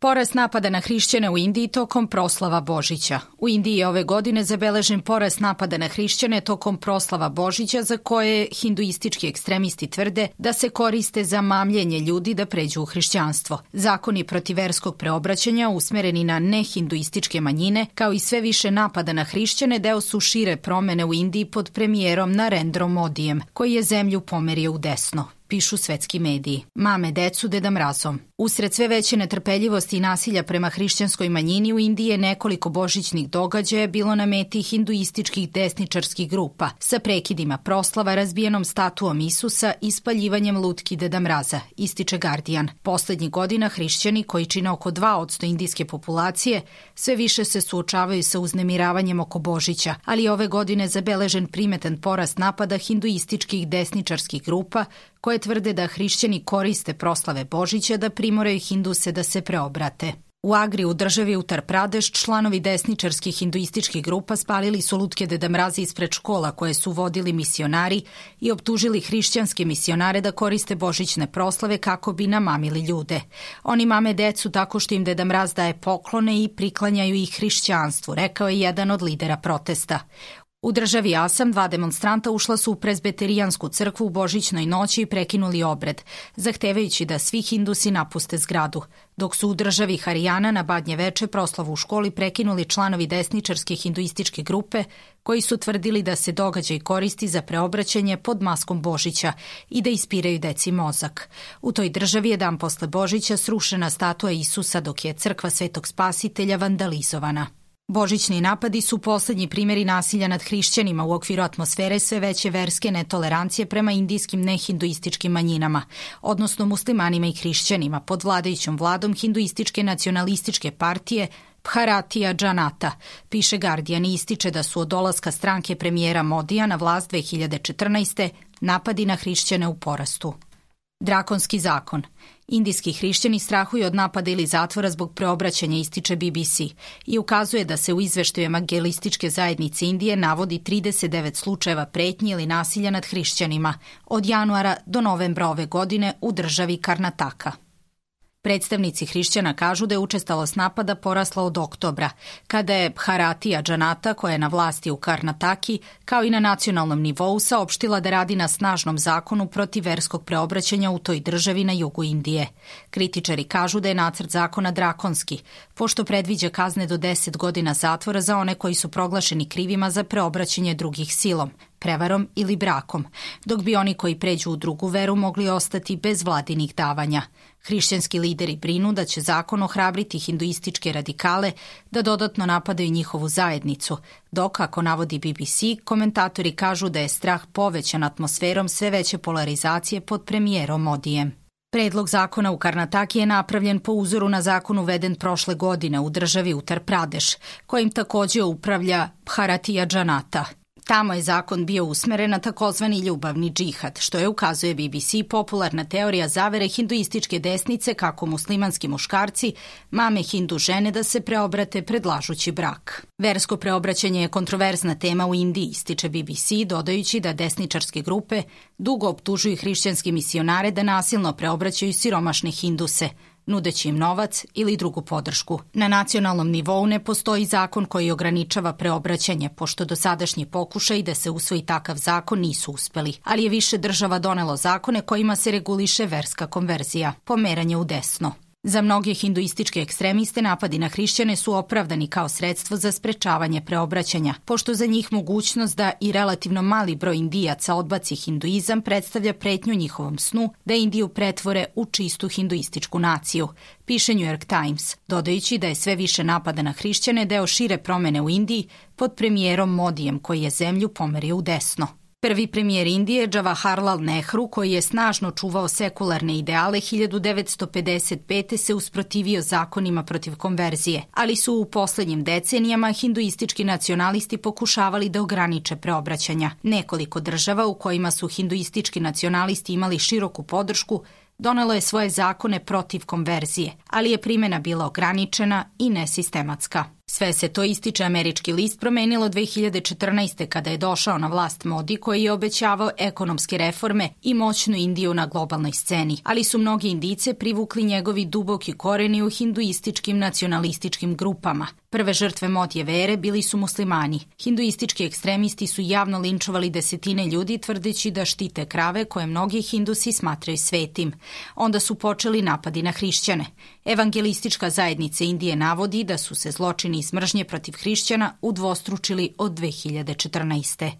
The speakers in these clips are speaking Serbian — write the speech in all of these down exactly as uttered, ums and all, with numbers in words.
Porast napada na hrišćane u Indiji tokom proslava Božića. U Indiji je ove godine zabeležen porast napada na hrišćane tokom proslava Božića za koje hinduistički ekstremisti tvrde da se koriste za mamljenje ljudi da pređu u hrišćanstvo. Zakoni protiv verskog preobraćanja usmereni na nehinduističke manjine, kao i sve više napada na hrišćane, deo su šire promene u Indiji pod premijerom Narendrom Modijem, koji je zemlju pomerio u desno, pišu svetski mediji. Mame decu Deda Mrazom. Usred sve veće netrpeljivosti i nasilja prema hrišćanskoj manjini u Indiji je nekoliko božićnih događaja bilo na meti hinduističkih desničarskih grupa, sa prekidima proslava, razbijenom statuom Isusa i spaljivanjem lutki Deda Mraza, ističe Guardian. Poslednjih godina hrišćani, koji čine oko dva posto indijske populacije, sve više se suočavaju sa uznemiravanjem oko Božića, ali ove godine zabeležen primetan porast napada hinduističkih desničarskih grupa koje tvrde da hrišćani koriste proslave Božića da primoraju hinduse da se preobrate. U Agri u državi Uttar Pradeš članovi desničarskih hinduističkih grupa spalili su lutke Deda Mraza ispred škola koje su vodili misionari i optužili hrišćanske misionare da koriste božićne proslave kako bi namamili ljude. Oni mame decu tako što im Deda Mraz daje poklone i priklanjaju ih hrišćanstvu, rekao je jedan od lidera protesta. U državi Asam dva demonstranta ušla su u prezbeterijansku crkvu u božićnoj noći i prekinuli obred, zahtevajući da svi hindusi napuste zgradu, dok su u državi Harijana na Badnje veče proslavu u školi prekinuli članovi desničarske hinduističke grupe koji su tvrdili da se događaj koristi za preobraćanje pod maskom Božića i da ispiraju deci mozak. U toj državi je dan posle Božića srušena statua Isusa dok je crkva Svetog Spasitelja vandalizovana. Božićni napadi su poslednji primjeri nasilja nad hrišćanima u okviru atmosfere sve veće verske netolerancije prema indijskim nehinduističkim manjinama, odnosno muslimanima i hrišćanima pod vladajućom vladom hinduističke nacionalističke partije Bharatiya Janata, piše Guardian i ističe da su od dolaska stranke premijera Modija na vlast dve hiljade četrnaeste. napadi na hrišćane u porastu. Drakonski zakon. Indijski hrišćani strahuju od napada ili zatvora zbog preobraćanja, ističe B B C, i ukazuje da se u izveštaju Evangelističke zajednice Indije navodi trideset devet slučajeva pretnji ili nasilja nad hrišćanima od januara do novembra ove godine u državi Karnataka. Predstavnici hrišćana kažu da je učestalost napada porasla od oktobra, kada je Bharatiya Janata, koja je na vlasti u Karnataki, kao i na nacionalnom nivou, saopštila da radi na snažnom zakonu protiv verskog preobraćanja u toj državi na jugu Indije. Kritičari kažu da je nacrt zakona drakonski, pošto predviđa kazne do deset godina zatvora za one koji su proglašeni krivima za preobraćanje drugih silom, prevarom ili brakom, dok bi oni koji pređu u drugu veru mogli ostati bez vladinih davanja. Hrišćanski lideri brinu da će zakon ohrabriti hinduističke radikale da dodatno napadaju njihovu zajednicu, dok, ako navodi B B C, komentatori kažu da je strah povećan atmosferom sve veće polarizacije pod premijerom Modijem. Predlog zakona u Karnataki je napravljen po uzoru na zakon uveden prošle godine u državi Uttar Pradeš, kojim takođe upravlja Bharatiya Janata. Tamo je zakon bio usmeren na takozvani ljubavni džihad, što je, ukazuje B B C, popularna teorija zavere hinduističke desnice kako muslimanski muškarci mame hindu žene da se preobrate predlažući brak. Versko preobraćanje je kontroverzna tema u Indiji, ističe B B C, dodajući da desničarske grupe dugo optužuju hrišćanske misionare da nasilno preobraćaju siromašne hinduse, nudeći im novac ili drugu podršku. Na nacionalnom nivou ne postoji zakon koji ograničava preobraćanje, pošto dosadašnji pokušaj da se usvoji takav zakon nisu uspeli, ali je više država donelo zakone kojima se reguliše verska konverzija, pomeranje u desno. Za mnoge hinduističke ekstremiste napadi na hrišćane su opravdani kao sredstvo za sprečavanje preobraćanja, pošto za njih mogućnost da i relativno mali broj Indijaca odbaci hinduizam predstavlja pretnju njihovom snu da Indiju pretvore u čistu hinduističku naciju, piše New York Times, dodajući da je sve više napada na hrišćane deo šire promene u Indiji pod premijerom Modijem koji je zemlju pomerio u desno. Prvi premijer Indije, Jawaharlal Nehru, koji je snažno čuvao sekularne ideale, hiljadu devetsto pedeset pete. se usprotivio zakonima protiv konverzije, ali su u poslednjim decenijama hinduistički nacionalisti pokušavali da ograniče preobraćanja. Nekoliko država u kojima su hinduistički nacionalisti imali široku podršku donelo je svoje zakone protiv konverzije, ali je primjena bila ograničena i nesistematska. Sve se to, ističe američki list, promenilo dve hiljade četrnaeste. kada je došao na vlast Modi, koji je obećavao ekonomske reforme i moćnu Indiju na globalnoj sceni, ali su mnogi Indijce privukli njegovi duboki koreni u hinduističkim nacionalističkim grupama. Prve žrtve Modijeve ere bili su muslimani. Hinduistički ekstremisti su javno linčovali desetine ljudi tvrdeći da štite krave koje mnogi Hindusi smatraju svetim. Onda su počeli napadi na hrišćane. Evangelistička zajednica Indije navodi da su se zločini iz mržnje protiv hrišćana udvostručili od dve hiljade četrnaeste.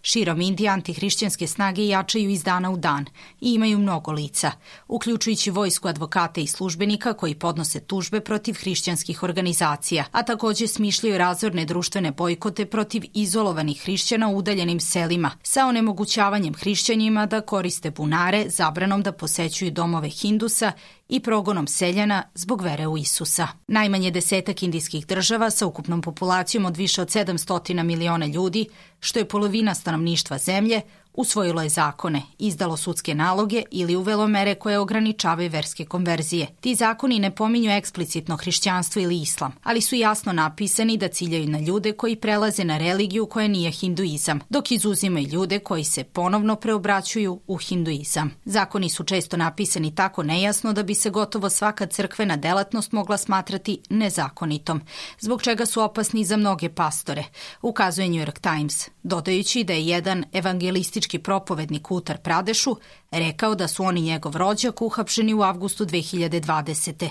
Širom Indije antihrišćanske snage jačaju iz dana u dan i imaju mnogo lica, uključujući vojsku advokata i službenika koji podnose tužbe protiv hrišćanskih organizacija, a takođe smišljaju razorne društvene bojkote protiv izolovanih hrišćana u udaljenim selima, sa onemogućavanjem hrišćanima da koriste bunare, zabranom da posećuju domove Hindusa i progonom seljana zbog vere u Isusa. Najmanje desetak indijskih država sa ukupnom populacijom od više od sedamsto miliona ljudi, što je polovina stanovništva zemlje, usvojilo je zakone, izdalo sudske naloge ili uvelo mere koje ograničavaju verske konverzije. Ti zakoni ne pominju eksplicitno hrišćanstvo ili islam, ali su jasno napisani da ciljaju na ljude koji prelaze na religiju koja nije hinduizam, dok izuzimaju ljude koji se ponovno preobraćuju u hinduizam. Zakoni su često napisani tako nejasno da bi se gotovo svaka crkvena delatnost mogla smatrati nezakonitom, zbog čega su opasni za mnoge pastore, ukazuje New York Times, dodajući da je jedan evangelistički propovednik u Uttar Pradešu rekao da su on i njegov rođak uhapšeni u avgustu dve hiljade dvadesete.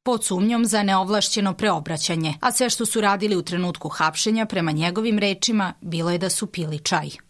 pod sumnjom za neovlašćeno preobraćanje, a sve što su radili u trenutku hapšenja, prema njegovim rečima, bilo je da su pili čaj.